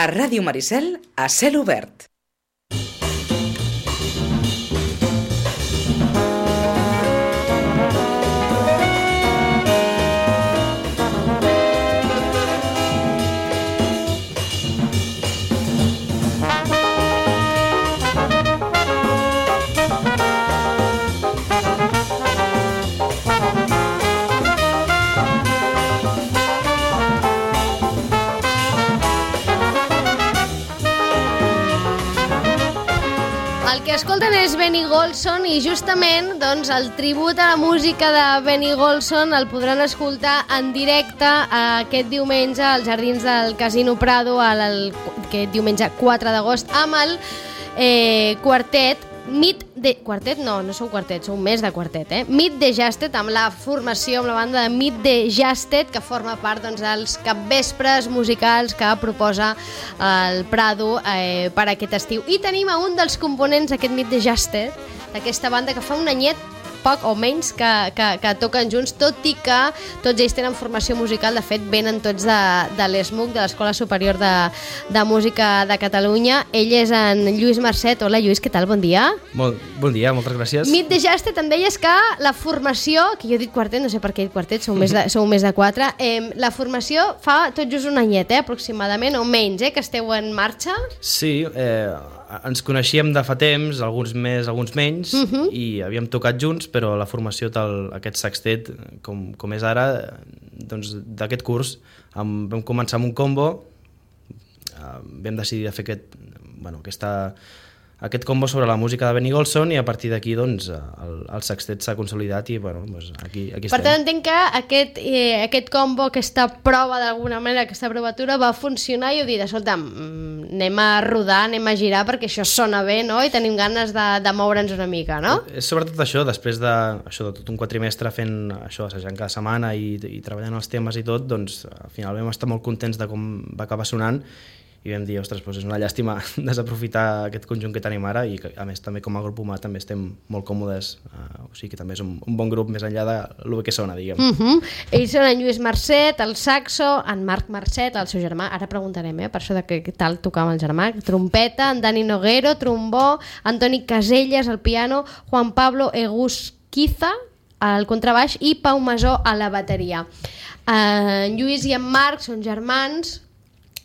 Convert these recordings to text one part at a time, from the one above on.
A Ràdio Maricel, a cel obert. El que escolten és Benny Golson i justament doncs, el tribut a la música de Benny Golson el podran escoltar en directe aquest diumenge als Jardins del Casino Prado, aquest diumenge 4 d'agost, amb el quartet Quartet no són quartet, són més de quartet, Meet the Jasted, amb la formació, amb la banda de Meet the Jasted, que forma part dels capvespres musicals que proposa el Prado per aquest estiu. I tenim a un dels components d'aquest Meet the Jasted, d'aquesta banda que fa un anyet poc o menys que toquen junts, tot i que tots ells tenen formació musical. De fet, venen tots de l'ESMUC, de l'Escola Superior de Música de Catalunya. Ell és en Lluís Marcet. Hola, Lluís, què tal? Bon dia. Bon dia, moltes gràcies. Meet the Jasted, em deies que la formació, que jo he dit quartet, no sé per què he dit quartet, sou més de 4, la formació fa tot just un anyet, aproximadament, o menys, que esteu en marxa? Sí, ens coneixíem de fa temps, alguns més, alguns menys, i havíem tocat junts, però la formació aquest sextet, com és ara, doncs d'aquest curs, vam començar amb un combo, vam decidir de fer aquest combo sobre la música de Benny Golson, i a partir d'aquí doncs, el sextet s'ha consolidat i doncs, aquí estem. Per tant, entenc que aquest combo, aquesta prova d'alguna manera, aquesta provatura va funcionar i heu dit, escolta'm, anem a rodar, anem a girar perquè això sona bé, no? I tenim ganes de moure'ns una mica, no? És sobretot això, després de tot un quatrimestre fent això, assajant cada setmana i treballant els temes i tot, doncs al final vam estar molt contents de com va acabar sonant i vam dir, ostres, doncs és una llàstima desaprofitar aquest conjunt que tenim ara, i que, a més també com a grup humà també estem molt còmodes, o sigui que també és un bon grup més enllà de lo que sona, diguem. Ells són en Lluís Marcet, el saxo, en Marc Marcet, el seu germà, ara preguntarem, per això de què tal tocar amb el germà, trompeta, en Dani Noguero, trombó, Antoni Caselles, al piano, Juan Pablo Egusquiza, al contrabaix, i Pau Masó a la bateria. En Lluís i en Marc són germans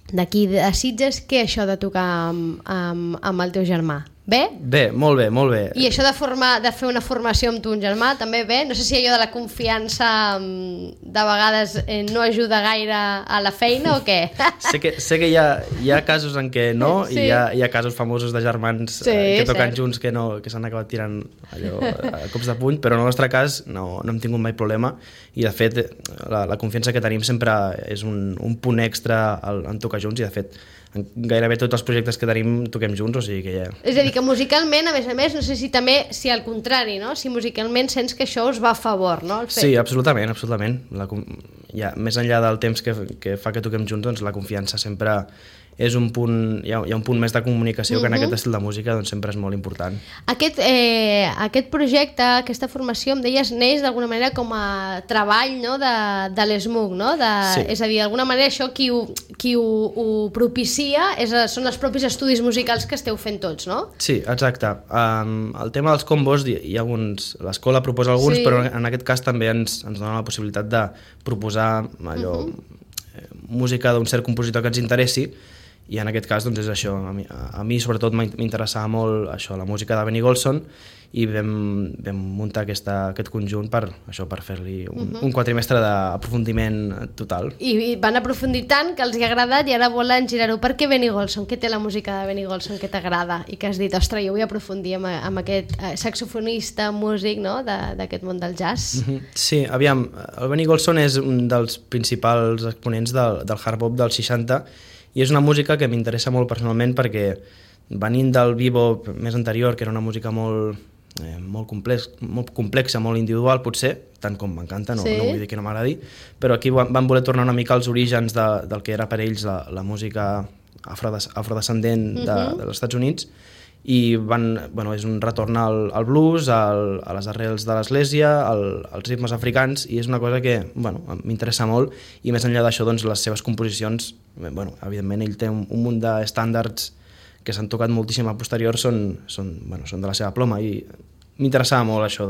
d'aquí de Sitges. Què això de tocar amb el teu germà? Bé? Bé, molt bé, molt bé. I això de fer una formació amb tu, un germà, també bé? No sé si allò de la confiança de vegades no ajuda gaire a la feina o què? Sé que hi ha casos en què no, sí. I hi ha casos famosos de germans que toquen junts que s'han acabat tirant allò a cops de puny, però en el nostre cas no hem tingut mai problema, i de fet la confiança que tenim sempre és un punt extra en tocar junts, i de fet gairebé tots els projectes que tenim toquem junts, o sigui que ja... És a dir, que musicalment, a més, no sé si al contrari, no? Si musicalment sents que això us va a favor, no? Sí, absolutament. Més enllà del temps que fa que toquem junts, doncs la confiança sempre és un punt, hi ha un punt més de comunicació que en aquest estil de música doncs sempre és molt important. Aquest projecte, aquesta formació, em deies, neix d'alguna manera com a treball, no? de l'ESMUC, no? Sí. És a dir, d'alguna manera això qui ho propicia són els propis estudis musicals que esteu fent tots, no? Sí, exacte. El tema dels combos, l'escola proposa alguns, però en aquest cas també ens dona la possibilitat de proposar música d'un cert compositor que ens interessi, i en aquest cas doncs és això, a mi sobretot m'interessava molt això, la música de Benny Golson, i vam muntar aquest conjunt per fer-li un quatrimestre d'aprofundiment total. I van aprofundir tant que els hi ha agradat i ara volen girar-ho. Per què Benny Golson? Què té la música de Benny Golson que t'agrada i que has dit, ostres, jo vull aprofundir amb aquest saxofonista, músic, no? d'aquest món del jazz? Sí, aviam, el Benny Golson és un dels principals exponents del hard bop dels 60, i és una música que m'interessa molt personalment perquè venint del bebop més anterior, que era una música molt complexa, molt individual potser, tant com m'encanta, no vull dir que no m'agradi, però aquí van voler tornar una mica als orígens del que era per ells la música afrodescendent dels Estats Units, i és un retorn al blues, a les arrels de l'església, als ritmes africans, i és una cosa que m'interessa molt, i més enllà d'això, doncs, les seves composicions, evidentment ell té un munt d'estàndards que s'han tocat moltíssim a posterior, són de la seva ploma, i m'interessava molt això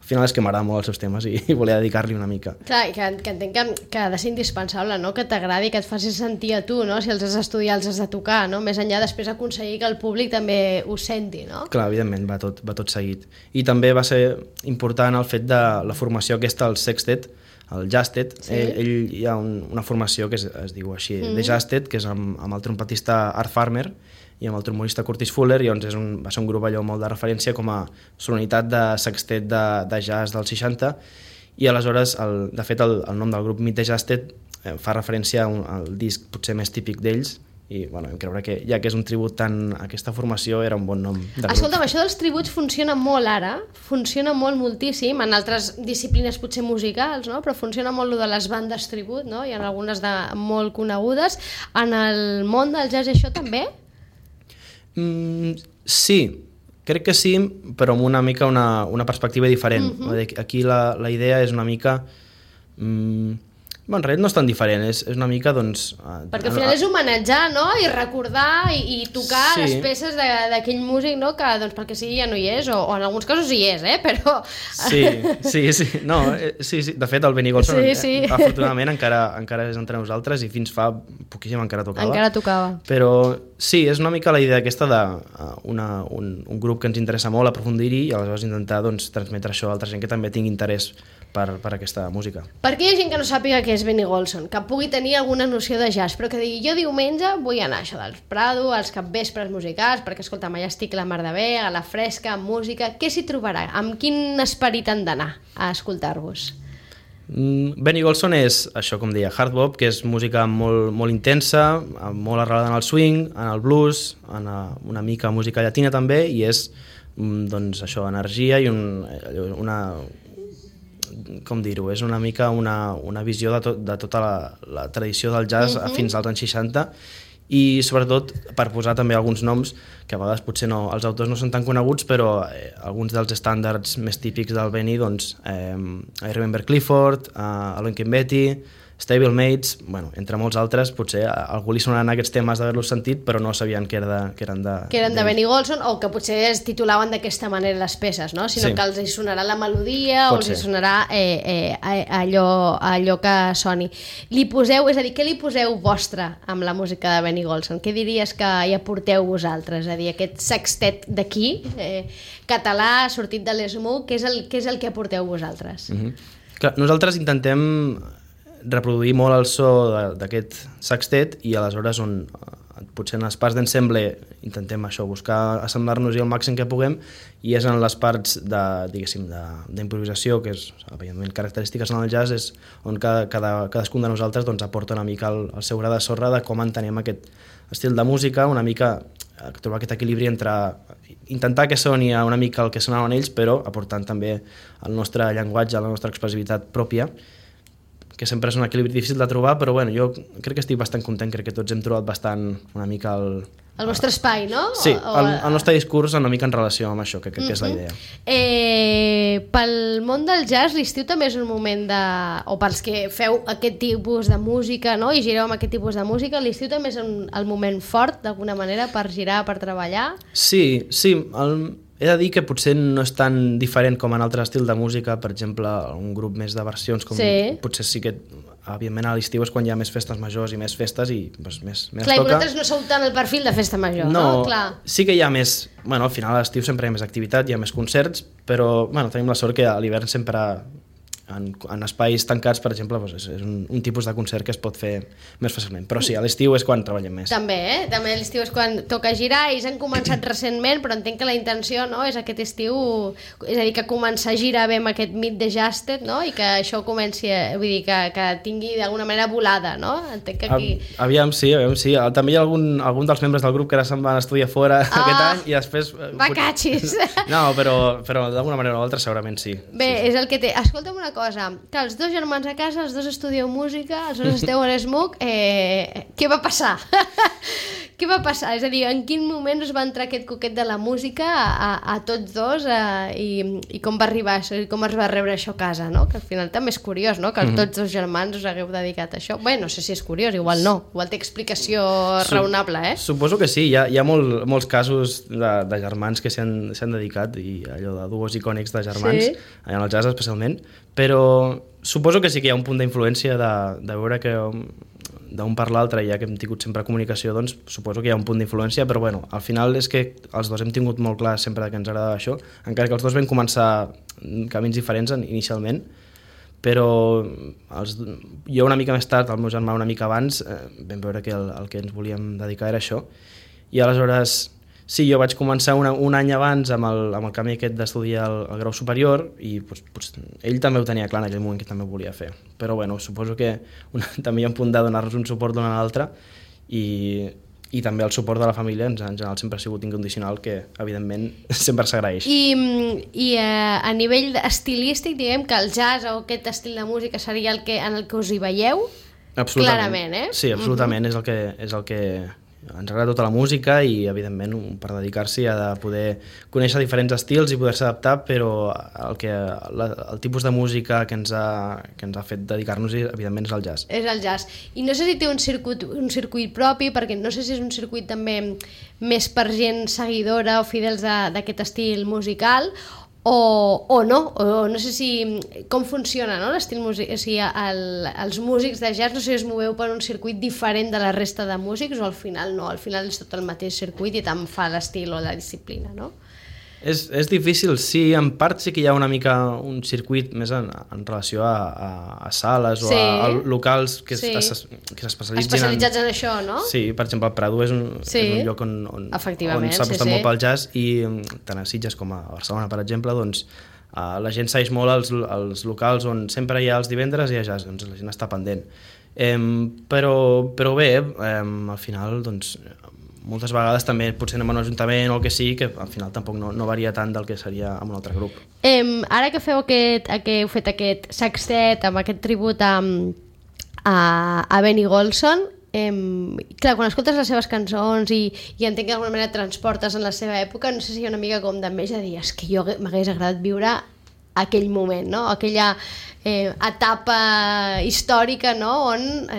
al final és que m'agrada molt els seus temes i volia dedicar-li una mica. Clar, que entenc que ha de ser indispensable, no? Que t'agradi, que et faci sentir a tu, no? Si els has d'estudiar, els has de tocar, no? Més enllà després aconseguir que el públic també ho senti, no? Clar, evidentment, va tot seguit. I també va ser important el fet de la formació aquesta, el sextet, el Jazztet. Sí. Ell hi ha una formació que es diu així, de Jazztet, que és amb el trompetista Art Farmer i amb el trombonista Curtis Fuller, i llavors va ser un grup allò molt de referència com a sonoritat de sextet de jazz dels 60, i aleshores, de fet, el nom del grup Meet the Jazztet fa referència al disc potser més típic d'ells, i vam creure que, ja que és un tribut a aquesta formació, era un bon nom de grup. Escolta'm, això dels tributs funciona molt ara, funciona moltíssim, en altres disciplines potser musicals, no? Però funciona molt lo de les bandes tribut, no? Hi ha algunes molt conegudes. En el món del jazz això també? Sí, crec que sí, però amb una mica una perspectiva diferent. Aquí la idea és una mica... en realitat no és tan diferent, és una mica, doncs... Perquè al final és homenatjar, no? I recordar i tocar les peces d'aquell músic, no? Que, doncs, perquè sigui ja no hi és, o en alguns casos hi és, però... Sí. No, sí. De fet, el Benny Golson, afortunadament, encara és entre nosaltres, i fins fa poquíssim encara tocava. Però sí, és una mica la idea aquesta d'un grup que ens interessa molt aprofundir-hi, i aleshores intentar, doncs, transmetre això a altra gent que també tingui interès per aquesta música. Per què hi ha gent que no sàpiga què és Benny Golson, que pugui tenir alguna noció de jazz, però que digui, jo diumenge vull anar a això del Prado, als capvespres musicals, perquè, escolta'm, allà estic la mar de bé, a la fresca, amb música, què s'hi trobarà? Amb quin esperit han d'anar a escoltar-vos? Benny Golson és, això com deia, hard bop, que és música molt, molt intensa, molt arrelada en el swing, en el blues, en una mica música llatina també, i és, doncs, això, energia i una com dir-ho, és una mica una visió de tota la tradició del jazz fins als anys 60, i sobretot per posar també alguns noms que a vegades potser els autors no són tan coneguts, però alguns dels estàndards més típics del Benny, doncs I Remember Clifford, Alon Betty, Stablemates, entre molts altres, potser a algú li sonaran aquests temes d'haver-los sentit, però no sabien que eren de Benny Golson, o que potser es titulaven d'aquesta manera les peces, no? Sinó que els hi sonarà la melodia, o els hi sonarà allò que soni. És a dir, què li poseu vostre amb la música de Benny Golson? Què diries que hi aporteu vosaltres? És a dir, aquest sextet d'aquí, català, sortit de l'Smoke, què és el que aporteu vosaltres? Clar, nosaltres intentem reproduir molt el so d'aquest sextet, i aleshores potser en les parts d'ensemble intentem això, buscar assemblar-nos-hi al màxim que puguem, i és en les parts d'improvisació, que és evidentment característiques en el jazz, és on cadascun de nosaltres doncs, aporta una mica el seu gra de sorra de com entenem aquest estil de música, una mica trobar aquest equilibri entre intentar que soni una mica el que sonaven ells, però aportant també el nostre llenguatge, la nostra expressivitat pròpia, que sempre és un equilibri difícil de trobar, però jo crec que estic bastant content, crec que tots hem trobat bastant una mica el vostre espai, no? Sí, el nostre discurs una mica en relació amb això, que crec que és la idea. Pel món del jazz, l'estiu també és un moment o pels que feu aquest tipus de música, no? I gireu amb aquest tipus de música, l'estiu també és el moment fort, d'alguna manera, per girar, per treballar? Sí, he de dir que potser no és tan diferent com en altres estils de música, per exemple, un grup més de versions, com potser sí que, evidentment, a l'estiu és quan hi ha més festes majors i més festes i doncs, més clar, toca. Clar, i vosaltres no sou tant el perfil de festa major, no? Clar. Sí que hi ha més, al final a l'estiu sempre hi ha més activitat, hi ha més concerts, però tenim la sort que a l'hivern sempre en espais tancats, per exemple, és un tipus de concert que es pot fer més fàcilment, però sí, a l'estiu és quan treballem més. També, també a l'estiu és quan toca girar, ells han començat recentment, però entenc que la intenció, no, és aquest estiu, és a dir, que començar a girar bé amb aquest Meet the Jazztet, no, i que això comenci, vull dir, que tingui d'alguna manera volada, no? Entenc que aquí... Aviam, sí. També hi ha algun dels membres del grup que ara se'n van estudiar fora aquest any i després... Bacatxis! No, però d'alguna manera o l'altra segurament sí. Bé, és el que té. Escolta'm una cosa, que els dos germans a casa, els dos estudieu música, els dos esteu a l'Smoke, què va passar? Què va passar? És a dir, en quin moment us va entrar aquest coquet de la música a tots dos i com va arribar això, i com es va rebre això a casa, no? Que al final també és curiós, no? Que tots dos germans us hagueu dedicat a això. Bé, no sé si és curiós, igual no. Igual té explicació raonable, eh? Suposo que sí. Hi ha molts casos de germans que s'han dedicat, i allò de duos icònics de germans, en el jazz especialment, però suposo que sí que hi ha un punt d'influència de veure que d'un per l'altre, ja que hem tingut sempre comunicació, doncs suposo que hi ha un punt d'influència, però bueno, al final és que els dos hem tingut molt clar sempre que ens agradava això, encara que els dos vam començar camins diferents inicialment, però jo una mica més tard, el meu germà una mica abans, vam veure que el que ens volíem dedicar era això, i aleshores sí, jo vaig començar un any abans amb el camí aquest d'estudiar el grau superior i pues, ell també ho tenia clar en aquell moment que també ho volia fer. Però bueno, suposo que també hi ha un punt de donar-nos un suport l'un a l'altre i també el suport de la família en general sempre ha sigut incondicional, que evidentment sempre s'agraeix. I a nivell estilístic, diguem que el jazz o aquest estil de música seria en el que us hi veieu? Absolutament. Clarament, eh? Sí, absolutament, és el que ens agrada tota la música i evidentment per dedicar-s'hi ha de poder conèixer diferents estils i poder-se adaptar, però el tipus de música que ens ha fet dedicar-nos-hi evidentment és el jazz. És el jazz. I no sé si té un circuit propi, perquè no sé si és un circuit també més per gent seguidora o fidels d'aquest estil musical o no, o no sé si com funciona, no, l'estil musical, o sigui, els músics de jazz, no sé si us moveu per un circuit diferent de la resta de músics o al final no, al final és tot el mateix circuit i tant fa l'estil o la disciplina, no? És difícil, sí, en part sí que hi ha una mica un circuit més en relació a sales o a locals que s'especialitzen especialitzats en això, no? Sí, per exemple, el Prado és un lloc on s'ha apostat molt pel jazz i tant a Sitges com a Barcelona, per exemple, doncs la gent segueix molt els locals on sempre hi ha els divendres i hi ha jazz, doncs la gent està pendent. Però bé, al final, doncs moltes vegades també potser anem a un ajuntament o el que sigui, que al final tampoc no varia tant del que seria amb un altre grup. Ara que heu fet aquest sextet amb aquest tribut a Benny Golson, clar, quan escoltes les seves cançons i entenc que d'alguna manera et transportes en la seva època, no sé si hi ha una mica com d'enveja de dir és que jo m'hagués agradat viure aquell moment, no? Aquella etapa històrica, no? On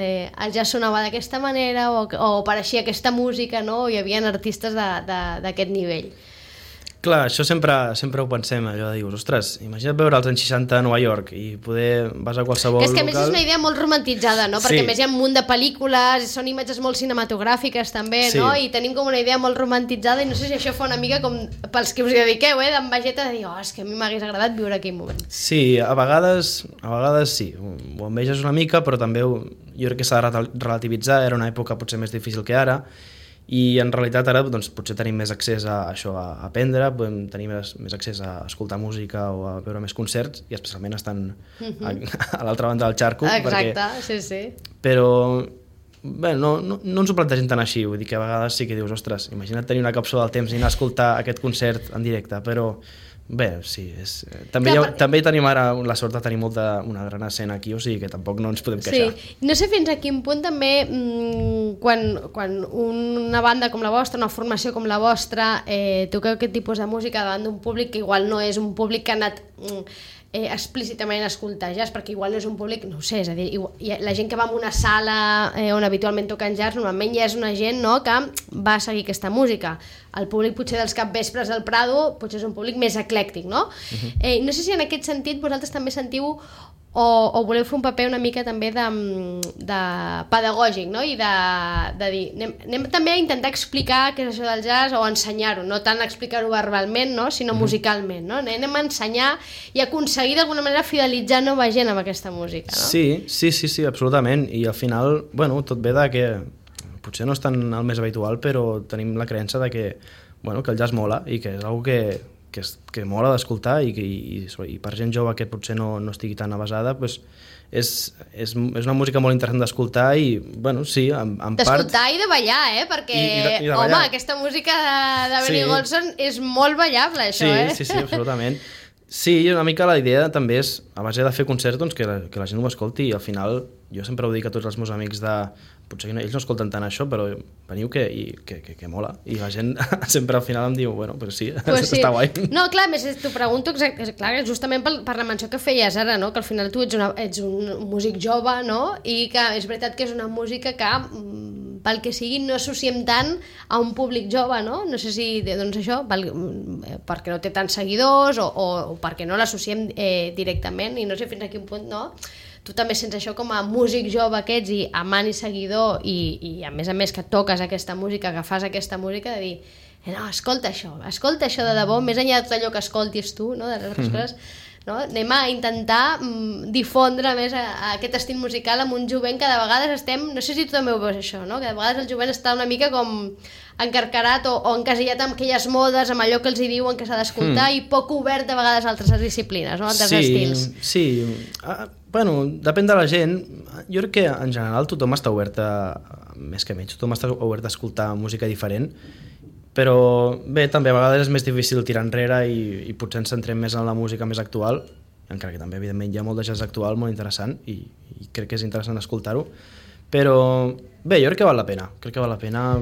ja sonava d'aquesta manera o apareixia aquesta música, no? Hi havia artistes d'aquest nivell. Clar, això sempre ho pensem, allò de dir, ostres, imagina't veure els anys 60 a Nova York i poder vas a qualsevol local... És que a més és una idea molt romantitzada, no? Perquè a més hi ha un munt de pel·lícules, són imatges molt cinematogràfiques també, no? I tenim com una idea molt romantitzada i no sé si això fa una mica com pels que us hi dediqueu, d'envejeta de dir, és que a mi m'hagués agradat viure aquell moment. Sí, a vegades sí, ho enveges una mica, però també jo crec que s'ha de relativitzar, era una època potser més difícil que ara, i en realitat ara doncs, potser tenim més accés a això, a aprendre, podem tenir més accés a escoltar música o a veure més concerts, i especialment estan a l'altra banda del xarco. Exacte, sí. Però bé, no ens ho plantegem tant així, vull dir que a vegades sí que dius, ostres, imagina't tenir una càpsula del temps i anar a escoltar aquest concert en directe, però bé, sí, també tenim ara la sort de tenir una gran escena aquí, o sigui que tampoc no ens podem queixar. Sí, no sé fins a quin punt també quan una banda com la vostra, una formació com la vostra, toqueu aquest tipus de música davant d'un públic que igual no és un públic que ha anat explícitament a escoltar jazz, perquè igual no és un públic, no ho sé, és a dir, la gent que va a una sala on habitualment toquen jazz normalment ja és una gent, no, que va a seguir aquesta música. El públic potser dels capvespres del Prado potser és un públic més eclèctic, no? No sé si en aquest sentit vosaltres també sentiu o voleu fer un paper una mica també de pedagògic, no? I de dir, anem també a intentar explicar què és això del jazz o ensenyar-ho, no tant explicar-ho verbalment, no? Sinó musicalment, no? Anem a ensenyar i aconseguir d'alguna manera fidelitzar nova gent amb aquesta música, no? Sí, absolutament, i al final, bueno, tot ve de que potser no és tan el més habitual, però tenim la creença de que el jazz mola i que és una cosa que mola d'escoltar i per gent jove que potser no estigui tan avasada, doncs és una música molt interessant d'escoltar i, bueno, sí, en part... D'escoltar i de ballar, perquè, I de ballar. Home, aquesta música de Benny Golson és molt ballable, això, Sí, absolutament. Sí, una mica la idea també és, a base de fer concerts, doncs, que la gent ho escolti, i al final jo sempre ho dic a tots els meus amics potser ells no escolten tant això, però veniu que mola, i la gent sempre al final em diu, bueno, però sí, pues sí. Està guai. No, clar, més t'ho pregunto clar, justament per la menció que feies ara, no? Que al final tu ets un músic jove, no? I que és veritat que és una música que pel que sigui no associem tant a un públic jove, no? No sé si, doncs això, perquè no té tants seguidors o perquè no l'associem directament, i no sé fins a quin punt, no? Tu també sents això com a músic jove que ets i amant i seguidor, i a més que toques aquesta música, que fas aquesta música, de dir, no, escolta això de debò, més enllà de tot allò que escoltis tu, no? De les altres coses, no? Anem a intentar difondre més aquest estil musical amb un jovent que de vegades estem, no sé si tu també ho veus això, no? Que de vegades el jovent està una mica com encarcarat o encasillat amb aquelles modes, amb allò que els hi diuen que s'ha d'escoltar, i poc obert de vegades a altres disciplines, no? Altres estils. Sí, bueno, depèn de la gent. Jo crec que en general tothom està obert més que menys, tothom està obert a escoltar música diferent, però bé, també a vegades és més difícil tirar enrere i potser ens centrem més en la música més actual, encara que també evidentment hi ha molt de jazz actual molt interessant i crec que és interessant escoltar-ho, però bé, jo crec que val la pena,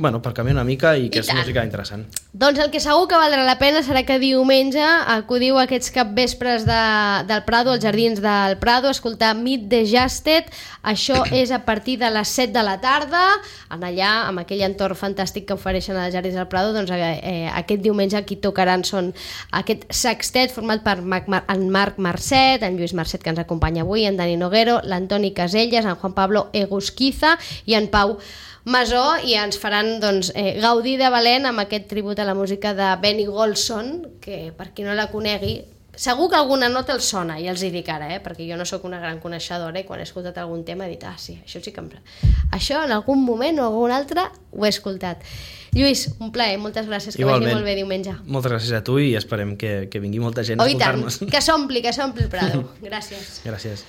bueno, per canviar una mica i que és música interessant. Doncs el que segur que valdrà la pena serà que diumenge acudiu a aquests capvespres del Prado, als Jardins del Prado, a escoltar Meet the Jazzed. Això és a partir de les 7 de la tarda, allà, amb aquell entorn fantàstic que ofereixen als Jardins del Prado. Doncs aquest diumenge qui tocaran són aquest sextet format per en Marc Marcet, en Lluís Marcet, que ens acompanya avui, en Dani Noguero, l'Antoni Caselles, en Juan Pablo Egusquiza i en Pau Masó, i ens faran gaudir de valent amb aquest tribut a la música de Benny Golson, que per qui no la conegui, segur que alguna nota els sona, i els hi dic ara, perquè jo no sóc una gran coneixedora, i quan he escoltat algun tema he dit, sí, això sí que això en algun moment o algun altre ho he escoltat. Lluís, un plaer, moltes gràcies, que vagi molt bé diumenge. Moltes gràcies a tu i esperem que vingui molta gent a escoltar-nos. Que s'ompli el Prado. Gràcies. Gràcies.